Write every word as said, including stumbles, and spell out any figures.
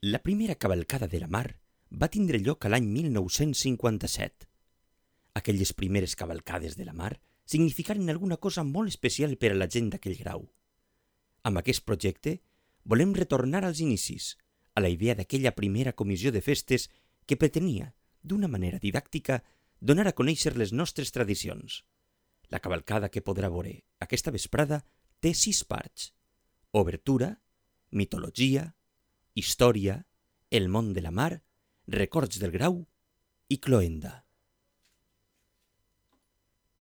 La primera cavalcada de la mar va tindre lloc a l'any mil nou-cents cinquanta-set. Aquelles primeres cavalcades de la mar significaren alguna cosa molt especial per a la gent d'aquell grau. Amb aquest projecte volem retornar als inicis, a la idea d'aquella primera comissió de festes que pretenia, d'una manera didàctica, donar a conèixer les nostres tradicions. La cavalcada que podrà veure aquesta vesprada té sis parts: obertura, mitologia, història, el món de la mar, records del grau i cloenda.